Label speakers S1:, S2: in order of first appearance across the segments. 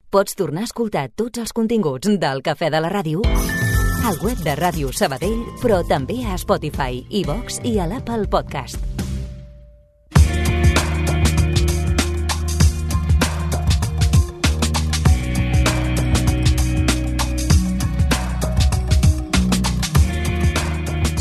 S1: Pots tornar a escoltar tots els continguts del Cafè de la Ràdio al web de Ràdio Sabadell, però també a Spotify, iVox i a l'Apple Podcast.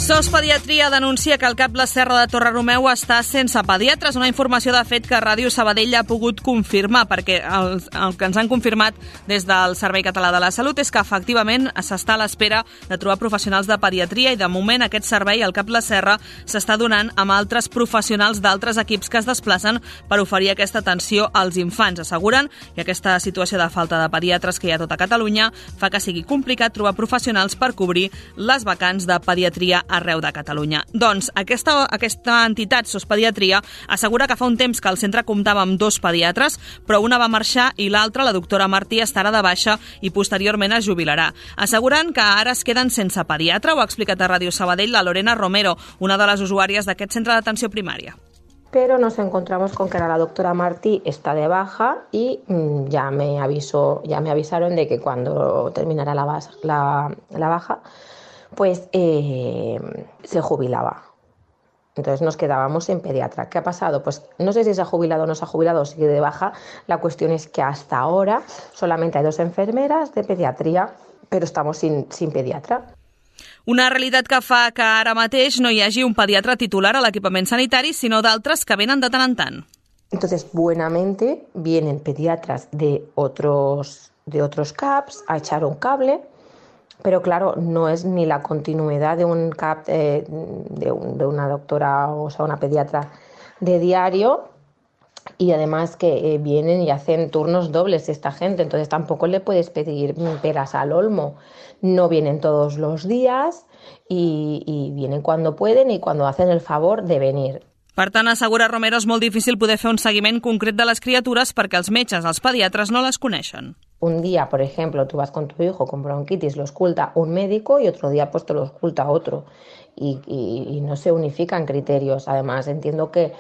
S2: SOS Pediatria denuncia que el CAP La Serra de Torredemeu està sense pediatres, una informació de fet que Ràdio Sabadell ha pogut confirmar, perquè el que ens han confirmat des del Servei Català de la Salut és que efectivament s'està a l'espera de trobar professionals de pediatria i de moment aquest servei, el CAP La Serra, s'està donant amb altres professionals d'altres equips que es desplacen per oferir aquesta atenció als infants. Asseguren que aquesta situació de falta de pediatres que hi ha a tota Catalunya fa que sigui complicat trobar professionals per cobrir les vacants de pediatria arreu de Catalunya. Doncs aquesta entitat, SOS Pediatria, assegura que fa un temps que el centre comptava amb 2 pediatres, però una va marxar i l'altra, la doctora Martí, estarà de baixa i posteriorment es jubilarà. Asseguren que ara es queden sense pediatre, ho ha explicat a Ràdio Sabadell la Lorena Romero, una de les usuàries d'aquest centre d'atenció primària.
S3: Pero nos encontramos con que la doctora Martí está de baja y ya me avisaron de que cuando terminara la baja, pues se jubilaba. Entonces nos quedábamos sin pediatra. ¿Qué ha pasado? Pues no sé si se ha jubilado o no se ha jubilado o sigue de baja. La cuestión es que hasta ahora solamente hay 2 enfermeras de pediatría, pero estamos sin pediatra.
S2: Una realitat que fa que ara mateix no hi hagi un pediatre titular a l'equipament sanitari, sinó d'altres que venen de tant en tant.
S3: Entonces, buenamente, vienen pediatras de otros CAPs a echar un cable, pero claro, no es ni la continuidad de un CAP de una doctora, o sea, una pediatra de diario, y además que vienen y hacen turnos dobles esta gente, entonces tampoco le puedes pedir peras al olmo. No vienen todos los días y vienen cuando pueden y cuando hacen el favor de venir.
S2: Per tant, assegura Romero, és molt difícil poder fer un seguiment concret de les criatures perquè els metges, els pediatres, no les coneixen.
S3: Un día, por ejemplo, tú vas con tu hijo con bronquitis, lo ausculta un médico y otro día pues te lo ausculta otro. Y no se unifican criterios. Además, entiendo que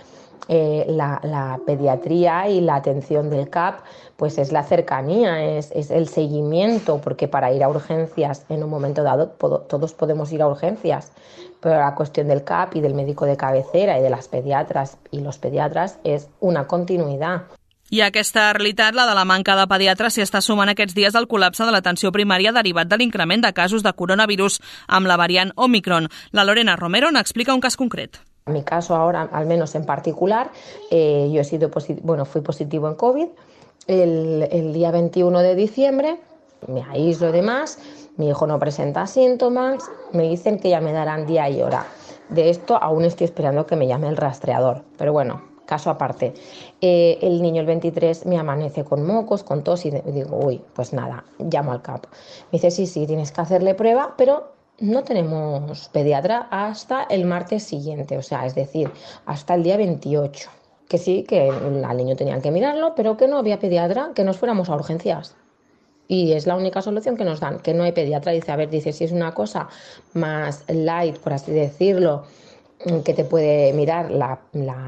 S3: la pediatría y la atención del CAP pues es la cercanía, es el seguimiento, porque para ir a urgencias en un momento dado todos podemos ir a urgencias, pero la cuestión del CAP y del médico de cabecera y de las pediatras y los pediatras es una continuidad.
S2: I aquesta realitat, la de la manca de pediatres, s'hi està sumant aquests dies al col·lapse de l'atenció primària derivat de l'increment de casos de coronavirus amb la variant Omicron. La Lorena Romero n'explica un cas concret.
S3: En mi caso ahora, al menos en particular, yo fui positivo en COVID el día 21 de diciembre, me aíslo y demás, mi hijo no presenta síntomas, me dicen que ya me darán día y hora. De esto aún estoy esperando que me llame el rastreador, pero bueno, caso aparte. El niño el 23 me amanece con mocos, con tos y digo, uy, pues nada, llamo al CAP. Me dice, sí, tienes que hacerle prueba, pero no tenemos pediatra hasta el martes siguiente, o sea, es decir, hasta el día 28. Que sí, que al niño tenían que mirarlo, pero que no había pediatra, que nos fuéramos a urgencias. Y es la única solución que nos dan, que no hay pediatra. Dice, si es una cosa más light, por así decirlo, que te puede mirar la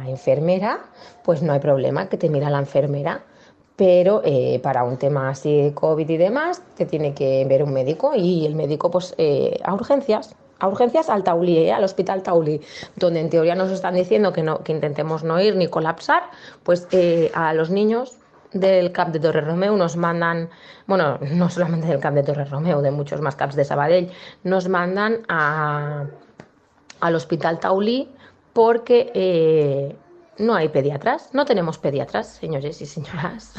S3: enfermera, pues no hay problema, que te mira la enfermera. Pero para un tema así de COVID y demás, te tiene que ver un médico y el médico pues a urgencias al Taulí, al Hospital Taulí, donde en teoría nos están diciendo que intentemos no ir ni colapsar, pues a los niños del CAP de Torredemeu nos mandan, bueno, no solamente del CAP de Torredemeu, de muchos más CAPs de Sabadell, nos mandan al Hospital Taulí porque no hay pediatras, no tenemos pediatras, señores y señoras.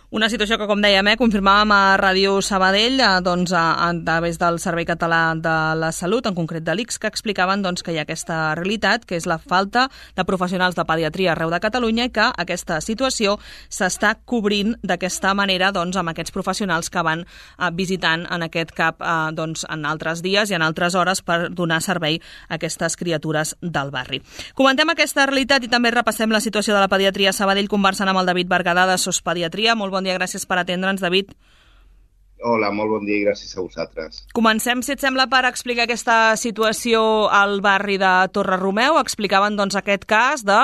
S2: Una situació que, com dèiem, confirmàvem a Ràdio Sabadell a través del Servei Català de la Salut, en concret de l'ICS, que explicaven que hi ha aquesta realitat, que és la falta de professionals de pediatria arreu de Catalunya i que aquesta situació s'està cobrint d'aquesta manera amb aquests professionals que van visitant en aquest CAP en altres dies i en altres hores per donar servei a aquestes criatures del barri. Comentem aquesta realitat i també repassem la situació de la pediatria a Sabadell conversant amb el David Berguedà de SOS Pediatria. Molt bon dia, gràcies per atendre'ns, David.
S4: Hola, molt bon dia i gràcies a vosaltres.
S2: Comencem, si et sembla, per explicar aquesta situació al barri de Torre-Romeu. Explicaven doncs, aquest cas de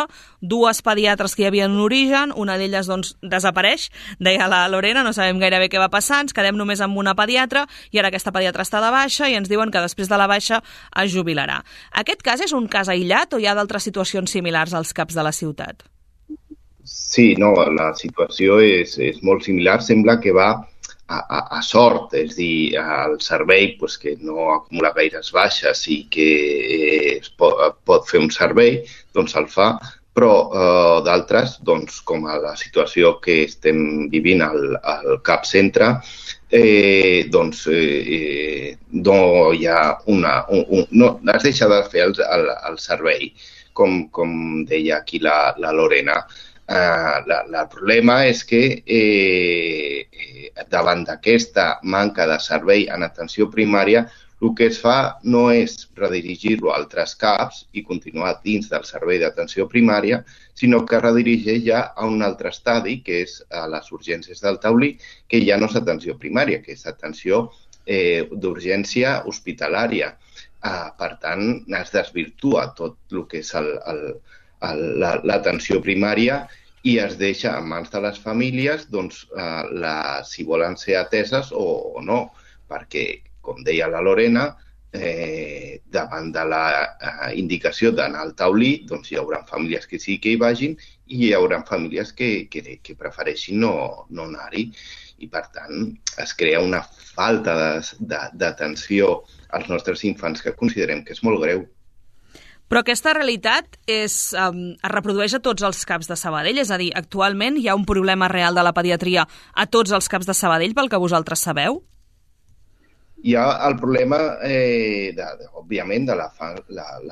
S2: dues pediatres que hi havia en origen, una d'elles doncs, desapareix, deia la Lorena, no sabem gairebé què va passar, ens quedem només amb una pediatra i ara aquesta pediatra està de baixa i ens diuen que després de la baixa es jubilarà. Aquest cas és un cas aïllat o hi ha d'altres situacions similars als CAPs de la ciutat?
S4: Sí, no, la situació és molt similar. Sembla que va a sort, és a dir, el servei que no acumula gaires baixes i que es pot fer un servei, doncs el fa, però d'altres, doncs, com a la situació que estem vivint al CAP Centre, doncs no hi ha no es deixa de fer el servei, com deia aquí la Lorena. El problema és que davant d'aquesta manca de servei en atenció primària, el que es fa no és redirigir-lo a altres CAPs i continuar dins del servei d'atenció primària, sinó que redirigeix ja a un altre estadi, que és a les urgències del Taulí, que ja no és atenció primària, que és atenció d'urgència hospitalària. Per tant, es desvirtua tot el que és l'atenció primària i es deixa en mans de les famílies doncs, si volen ser ateses o no, perquè, com deia la Lorena, davant de la indicació d'anar al Taulí, doncs hi haurà famílies que sí que hi vagin i hi haurà famílies que prefereixin no anar-hi. I, per tant, es crea una falta d'atenció als nostres infants que considerem que és molt greu.
S2: Però aquesta realitat es reprodueix a tots els CAPs de Sabadell? És a dir, actualment hi ha un problema real de la pediatria a tots els CAPs de Sabadell, pel que vosaltres sabeu?
S4: Hi ha el problema, òbviament, de la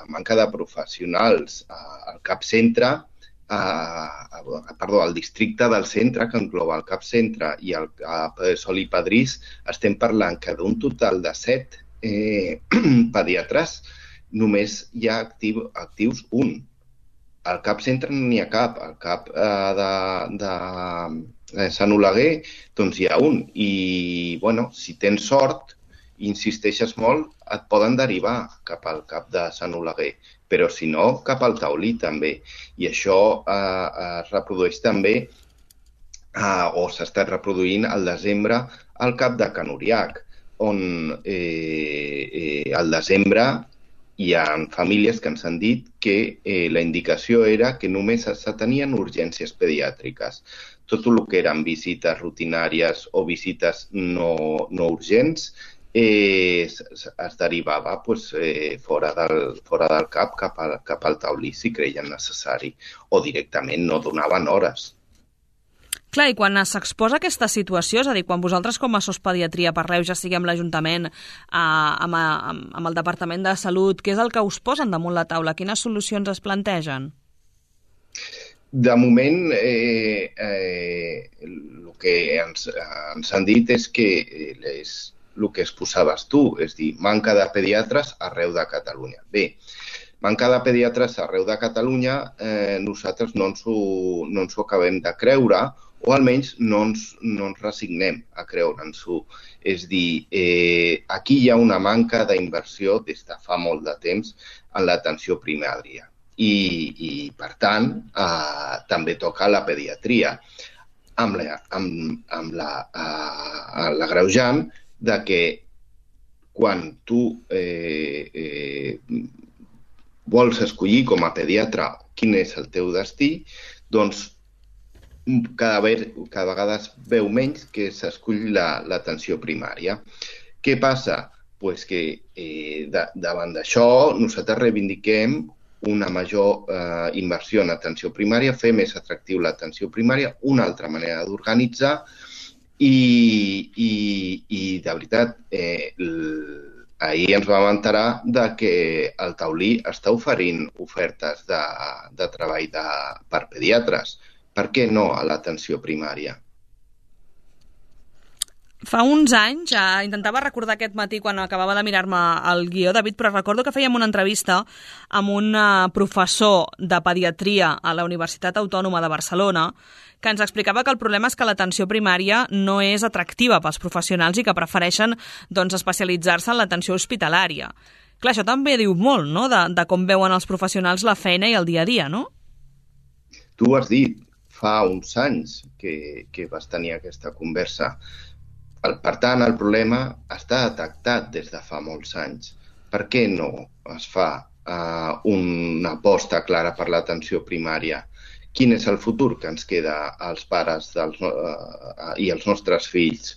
S4: manca de professionals al CAP Centre, al districte del centre, que engloba el CAP Centre i el CAP Sol i Padrís. Estem parlant que d'un total de 7 pediatres només hi ha actius un. Al CAP Centre no n'hi ha cap. Al CAP de Sant Oleguer doncs hi ha un. I, si tens sort i insisteixes molt, et poden derivar cap al CAP de Sant Oleguer. Però, si no, cap al Taulí també. I això es reprodueix també, o s'ha estat reproduint al desembre, al CAP de Can Uriach, on al desembre hi ha famílies que ens han dit que la indicació era que només s'atenien urgències pediàtriques. Tot el que eren visites rutinàries o visites no urgents es derivava fora del CAP cap al Taulí si creien necessari o directament no donaven hores.
S2: Clar, i quan s'exposa aquesta situació, és a dir, quan vosaltres com a Sospediatria parleu, ja sigui amb l'Ajuntament, amb el Departament de Salut, què és el que us posen damunt la taula? Quines solucions es plantegen?
S4: De moment, el que ens han dit és que el que exposaves tu, és dir, manca de pediatres arreu de Catalunya. Bé, manca de pediatres arreu de Catalunya, nosaltres no ens ho acabem de creure, o almenys no ens resignem a creure'ns-ho. És dir, aquí hi ha una manca d'inversió des de fa molt de temps en l'atenció primària. I per tant, també toca la pediatria, amb l'agreujant de que quan tu vols escollir com a pediatre quin és el teu destí, doncs cada vegada es veu menys que s'escull l'atenció primària. Què passa? Doncs que davant d'això nosaltres reivindiquem una major inversió en atenció primària, fer més atractiu l'atenció primària, una altra manera d'organitzar i de veritat, ahir ens vam enterar que el Taulí està oferint ofertes de treball per pediatres. Per què no a l'atenció primària?
S2: Fa uns anys, intentava recordar aquest matí quan acabava de mirar-me el guió, David, però recordo que fèiem una entrevista amb un professor de pediatria a la Universitat Autònoma de Barcelona que ens explicava que el problema és que l'atenció primària no és atractiva pels professionals i que prefereixen especialitzar-se en l'atenció hospitalària. Clar, això també diu molt, no?, de com veuen els professionals la feina i el dia a dia, no?
S4: Tu ho has dit, fa uns anys que vas tenir aquesta conversa. Per tant, el problema està detectat des de fa molts anys. Per què no es fa una aposta clara per l'atenció primària? Quin és el futur que ens queda als pares i als nostres fills?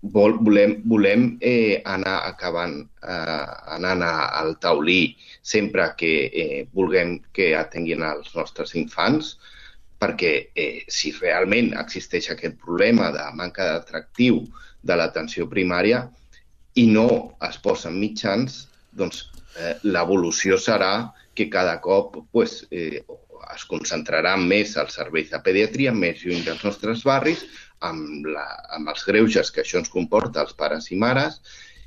S4: Volem anar acabant anant al taulí sempre que vulguem que atenguin els nostres infants? Perquè si realment existeix aquest problema de manca d'atractiu de l'atenció primària i no es posen mitjans, doncs l'evolució serà que cada cop es concentrarà més els serveis de pediatria, més lluny dels nostres barris, amb els greuges que això ens comporta als pares i mares,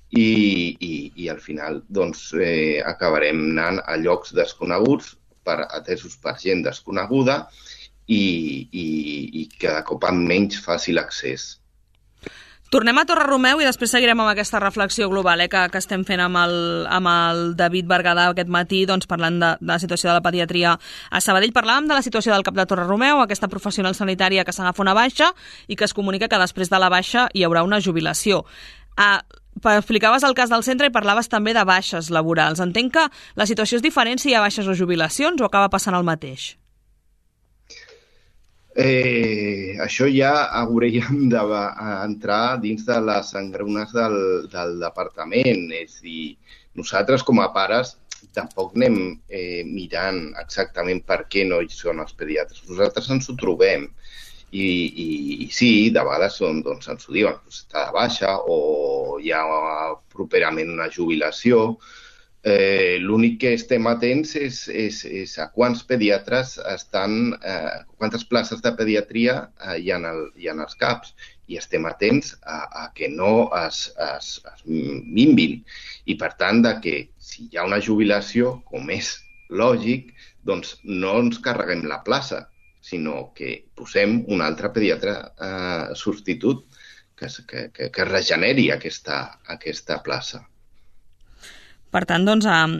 S4: i al final acabarem anant a llocs desconeguts, atesos per gent desconeguda, i cada cop amb menys fàcil accés.
S2: Tornem a Torre-Romeu i després seguirem amb aquesta reflexió global que estem fent amb el David Berguedà aquest matí, parlant de la situació de la pediatria a Sabadell. Parlàvem de la situació del CAP de Torre-Romeu, aquesta professional sanitària que s'agafa una baixa i que es comunica que després de la baixa hi haurà una jubilació. Explicaves el cas del centre i parlaves també de baixes laborals. Entenc que la situació és diferent si hi ha baixes o jubilacions o acaba passant el mateix?
S4: Això ja hauríem d'entrar dins de les engrunes del departament. És a dir, nosaltres com a pares tampoc anem mirant exactament per què no hi són els pediatres. Nosaltres ens ho trobem i sí, de vegades ens ho diuen, està de baixa o hi ha properament una jubilació. L'únic que estem atents és a quants pediatres quantes places de pediatria hi ha als CAPs, i estem atents a que no es minvin. I per tant, que si hi ha una jubilació, com és lògic, doncs no ens carreguem la plaça, sinó que posem un altre pediatre substitut que regeneri aquesta plaça.
S2: Per tant,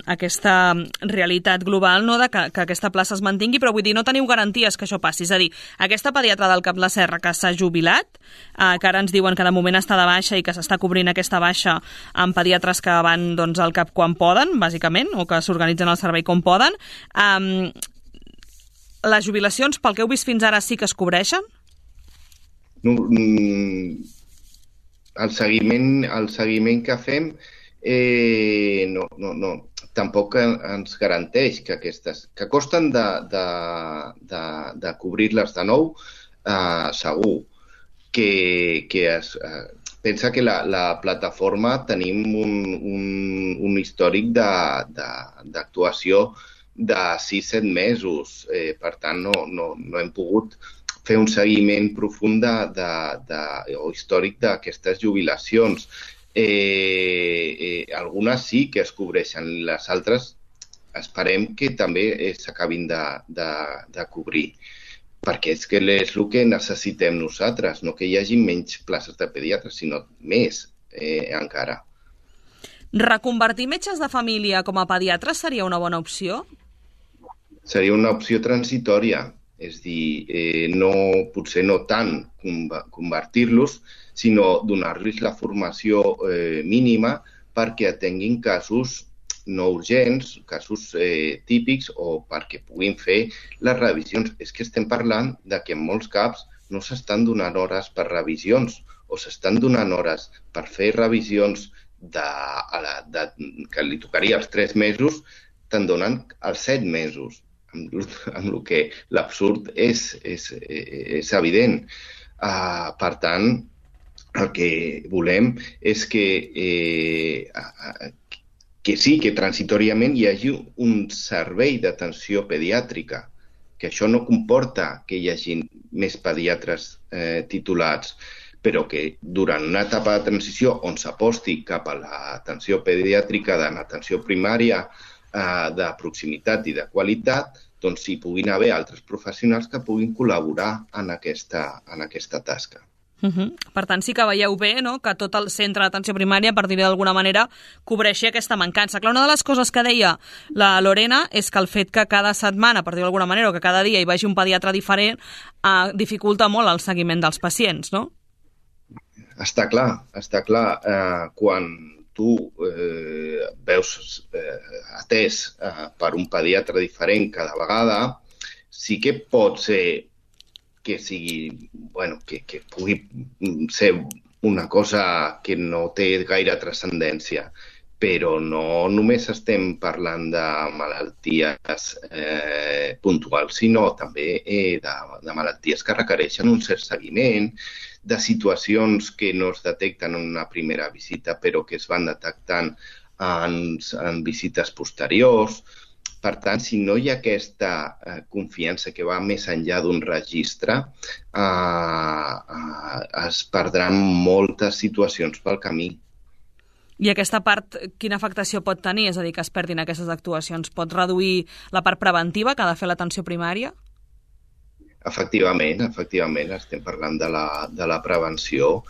S2: aquesta realitat global que aquesta plaça es mantingui, però vull dir, no teniu garanties que això passi. És a dir, aquesta pediatra del Cap la Serra que s'ha jubilat, que ara ens diuen que de moment està de baixa i que s'està cobrint aquesta baixa amb pediatres que van al CAP quan poden, bàsicament, o que s'organitzen al servei com poden, les jubilacions, pel que heu vist fins ara, sí que es cobreixen?
S4: El seguiment que fem tampoc ens garanteix que aquestes, que costen de cobrir-les de nou, segur. Pensa que la plataforma tenim un històric d'actuació de 6-7 mesos. Per tant, no hem pogut fer un seguiment profund o històric d'aquestes jubilacions. Algunes sí que es cobreixen, les altres esperem que també s'acabin de cobrir, perquè és que és el que necessitem nosaltres, no que hi hagi menys places de pediatres, sinó més encara.
S2: Reconvertir metges de família com a pediatres seria una bona opció?
S4: Seria una opció transitòria, és a dir, potser no tant convertir-los, sinó donar-los la formació mínima perquè atenguin casos no urgents, casos típics, o perquè puguin fer les revisions. És que estem parlant que en molts CAPs no s'estan donant hores per revisions, o s'estan donant hores per fer revisions que li tocaria els 3 mesos, te'n donen els 7 mesos, amb el que l'absurd és evident. Per tant, el que volem és que sí, que transitòriament hi hagi un servei d'atenció pediàtrica, que això no comporta que hi hagi més pediatres titulats, però que durant una etapa de transició on s'aposti cap a l'atenció pediàtrica d'atenció primària de proximitat i de qualitat, doncs hi puguin haver altres professionals que puguin col·laborar en aquesta tasca.
S2: Per tant, sí que veieu bé, no?, que tot el centre d'atenció primària, per dir-ho d'alguna manera, cobreixi aquesta mancança. Clar, una de les coses que deia la Lorena és que el fet que cada setmana, per dir-ho d'alguna manera, o que cada dia hi vagi un pediatre diferent, dificulta molt el seguiment dels pacients, no?
S4: Està clar. Quan tu veus atès per un pediatre diferent cada vegada, sí que pot ser que pugui ser una cosa que no té gaire transcendència, però no només estem parlant de malalties puntuals, sinó també de malalties que requereixen un cert seguiment, de situacions que no es detecten en una primera visita però que es van detectant en visites posteriors. Per tant, si no hi ha aquesta confiança que va més enllà d'un registre, es perdran moltes situacions pel camí.
S2: I aquesta part, quina afectació pot tenir? És a dir, que es perdin aquestes actuacions. Pot reduir la part preventiva que ha de fer l'atenció primària?
S4: Efectivament, estem parlant de la prevenció.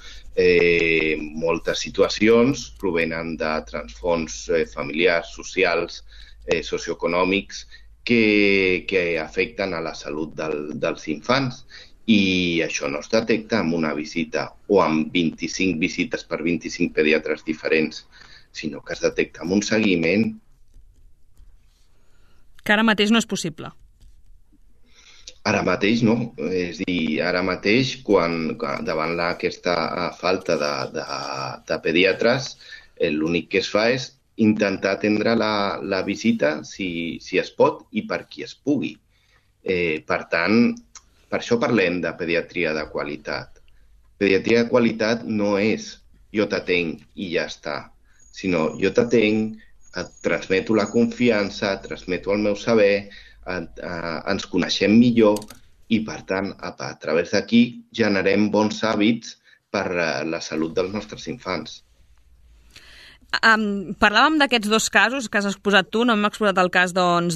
S4: Moltes situacions provenen de transfons familiars, socials, socioeconòmics que afecten a la salut dels infants, i això no es detecta amb una visita o amb 25 visites per 25 pediatres diferents, sinó que es detecta amb un seguiment.
S2: Que ara mateix no és possible.
S4: Ara mateix no. És a dir, ara mateix, davant aquesta falta de pediatres, l'únic que es fa és intentar atendre la visita si es pot i per qui es pugui. Per tant, per això parlem de pediatria de qualitat. Pediatria de qualitat no és jo t'atenc i ja està, sinó jo t'atenc, et transmeto la confiança, et transmeto el meu saber, ens coneixem millor i, per tant, a través d'aquí generem bons hàbits per la salut dels nostres infants.
S2: Parlàvem d'aquests dos casos que has exposat tu, no hem exposat el cas del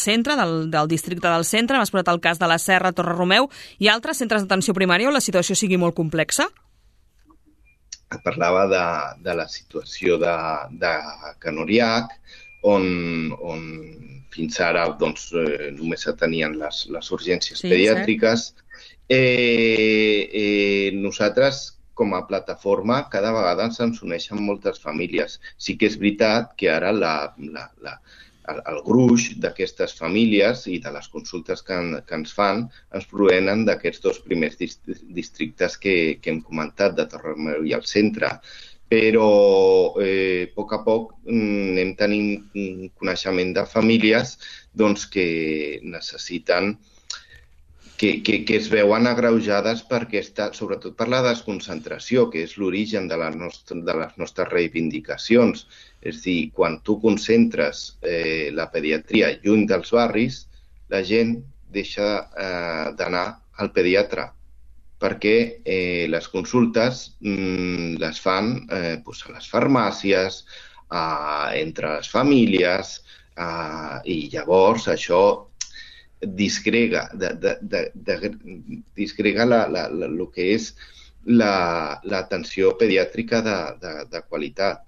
S2: centre, del districte del centre, hem exposat el cas de la Serra, Torre Romeu, i altres centres d'atenció primària on la situació sigui molt complexa?
S4: Et parlava de la situació de Can Oriach, on fins ara només s'atenien les urgències pediàtriques. Nosaltres, com a plataforma, cada vegada ens uneixen moltes famílies. Sí que és veritat que ara el gruix d'aquestes famílies i de les consultes que ens fan ens provenen d'aquests dos primers districtes que hem comentat, de Torre Romeu i el centre. Però a poc anem tenint coneixement de famílies que necessiten, que es veuen agreujades sobretot per la desconcentració, que és l'origen de les nostres reivindicacions. És a dir, quan tu concentres la pediatria lluny dels barris, la gent deixa d'anar al pediatre, perquè les consultes les fan a les farmàcies, entre les famílies, i llavors això disgrega el que és l'atenció pediàtrica de qualitat.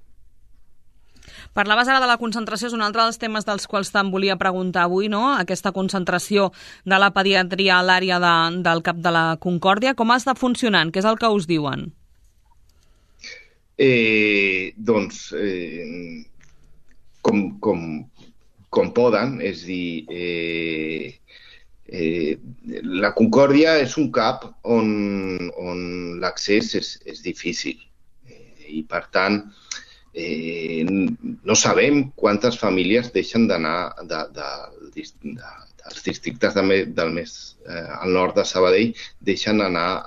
S2: Parlaves ara de la concentració, és un altre dels temes dels quals te'n volia preguntar avui, no? Aquesta concentració de la pediatria a l'àrea del CAP de la Concòrdia. Com està funcionant? Què és el que us diuen?
S4: Com poden, és a dir, la Concòrdia és un CAP on l'accés és difícil i, per tant, no sabem quantes famílies deixen d'anar dels districtes del més al nord de Sabadell, deixen d'anar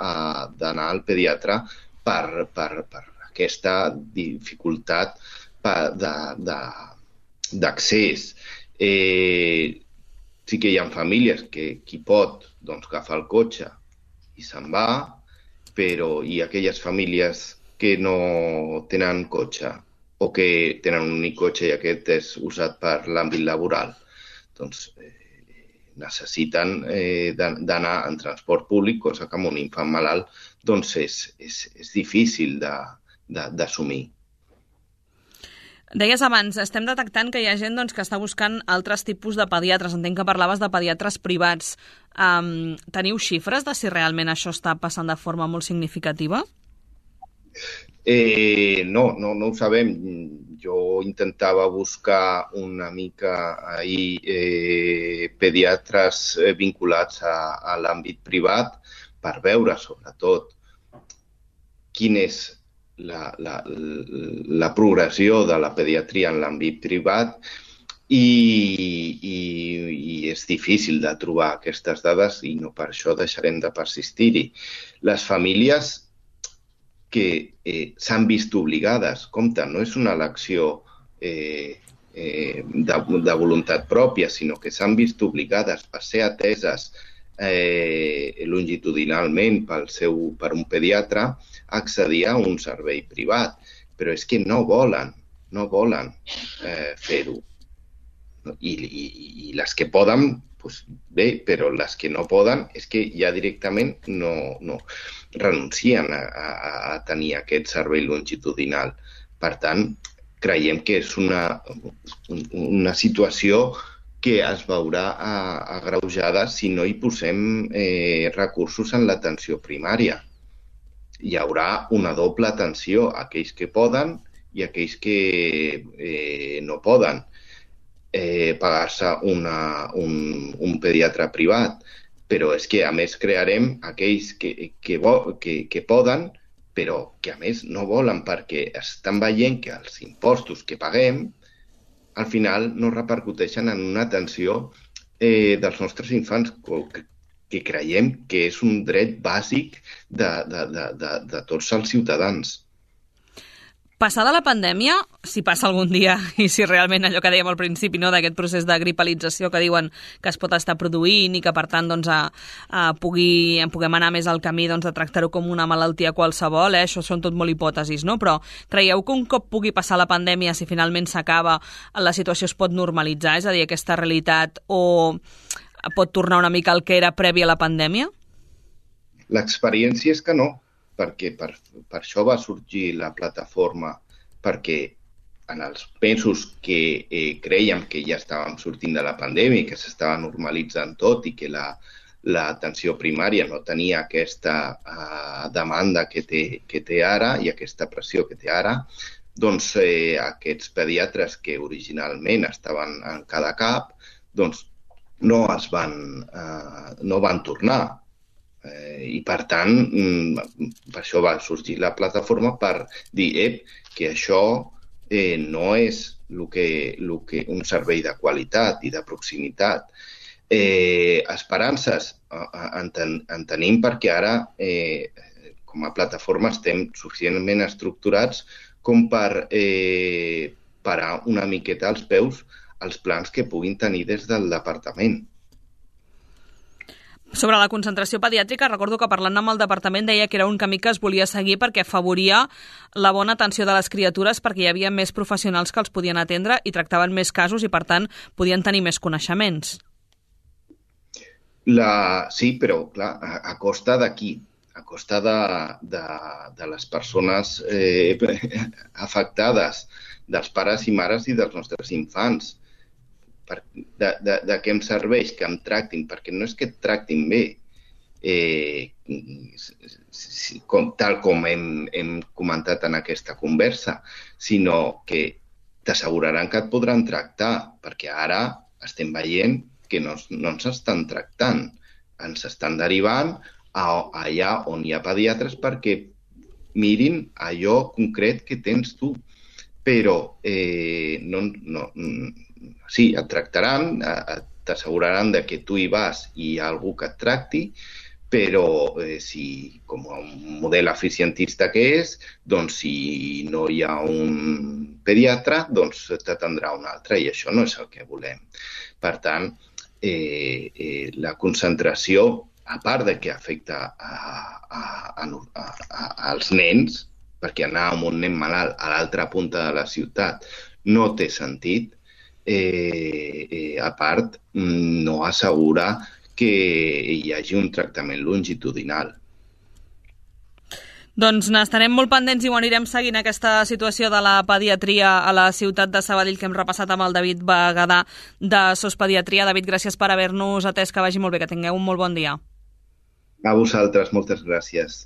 S4: al pediatre per aquesta dificultat d'accés. Sí que hi ha famílies que qui pot agafa el cotxe i se'n va, però i aquelles famílies que no tenen cotxe o que tenen un únic cotxe i aquest és usat per l'àmbit laboral, doncs necessiten d'anar en transport públic, cosa que amb un infant malalt doncs és difícil d'assumir.
S2: Deies abans, estem detectant que hi ha gent que està buscant altres tipus de pediatres. Entenc que parlaves de pediatres privats. Teniu xifres de si realment això està passant de forma molt significativa?
S4: No ho sabem. Jo intentava buscar una mica ahir pediatres vinculats a l'àmbit privat per veure, sobretot, quin és la progressió de la pediatria en l'àmbit privat i és difícil de trobar aquestes dades i no per això deixarem de persistir-hi. Les famílies que s'han vist obligades, compte, no és una elecció de voluntat pròpia, sinó que s'han vist obligades per ser ateses longitudinalment per un pediatre a accedir a un servei privat, però és que no volen fer-ho. I les que poden, doncs bé, però les que no poden és que ja directament no renuncien a tenir aquest servei longitudinal. Per tant, creiem que és una situació que es veurà agreujada si no hi posem recursos en l'atenció primària. Hi haurà una doble atenció a aquells que poden i a aquells que no poden pagar-se un pediatre privat. Però és que, a més, crearem aquells que poden, però que, a més, no volen perquè estan veient que els impostos que paguem al final no repercuteixen en una atenció dels nostres infants, que creiem que és un dret bàsic de tots els ciutadans.
S2: Passada la pandèmia, si passa algun dia i si realment allò que dèiem al principi, d'aquest procés de gripalització que diuen que es pot estar produint i que per tant puguem anar més al camí de tractar-ho com una malaltia qualsevol, això són tot molt hipòtesis, però creieu que un cop pugui passar la pandèmia, si finalment s'acaba, la situació es pot normalitzar, és a dir, aquesta realitat, o pot tornar una mica al que era previ a la pandèmia?
S4: L'experiència és que no, perquè per això va sorgir la plataforma, perquè en els mesos que crèiem que ja estàvem sortint de la pandèmia i que s'estava normalitzant tot i que l'atenció primària no tenia aquesta demanda que té ara i aquesta pressió que té ara, doncs aquests pediatres que originalment estaven en cada CAP doncs no van tornar. I, per tant, per això va sorgir la plataforma per dir que això no és un servei de qualitat i de proximitat. Esperances en tenim perquè ara, com a plataforma, estem suficientment estructurats com per parar una miqueta als peus els plans que puguin tenir des del departament.
S2: Sobre la concentració pediàtrica, recordo que parlant amb el departament deia que era un camí que es volia seguir perquè afavoria la bona atenció de les criatures, perquè hi havia més professionals que els podien atendre i tractaven més casos i, per tant, podien tenir més coneixements.
S4: Sí, però, clar, a costa d'aquí, a costa de les persones afectades, dels pares i mares i dels nostres infants. De què em serveix que em tractin, perquè no és que et tractin bé, tal com hem comentat en aquesta conversa, sinó que t'asseguraran que et podran tractar, perquè ara estem veient que no ens estan tractant, ens estan derivant allà on hi ha pediatres perquè mirin allò concret que tens tu, però sí, et tractaran, t'asseguraran que tu hi vas i hi ha algú que et tracti, però si, com un model eficientista que és, doncs si no hi ha un pediatre, doncs t'atendrà un altre, i això no és el que volem. Per tant, la concentració a part de que afecta als nens, perquè anar amb un nen malalt a l'altra punta de la ciutat no té sentit, a part no assegura que hi hagi un tractament longitudinal.
S2: Doncs n'estarem molt pendents i ho anirem seguint, aquesta situació de la pediatria a la ciutat de Sabadell que hem repassat amb el David Bagadà de SOS Pediatria. David, gràcies per haver-nos atès, que vagi molt bé, que tingueu un molt bon dia.
S4: A vosaltres, moltes gràcies.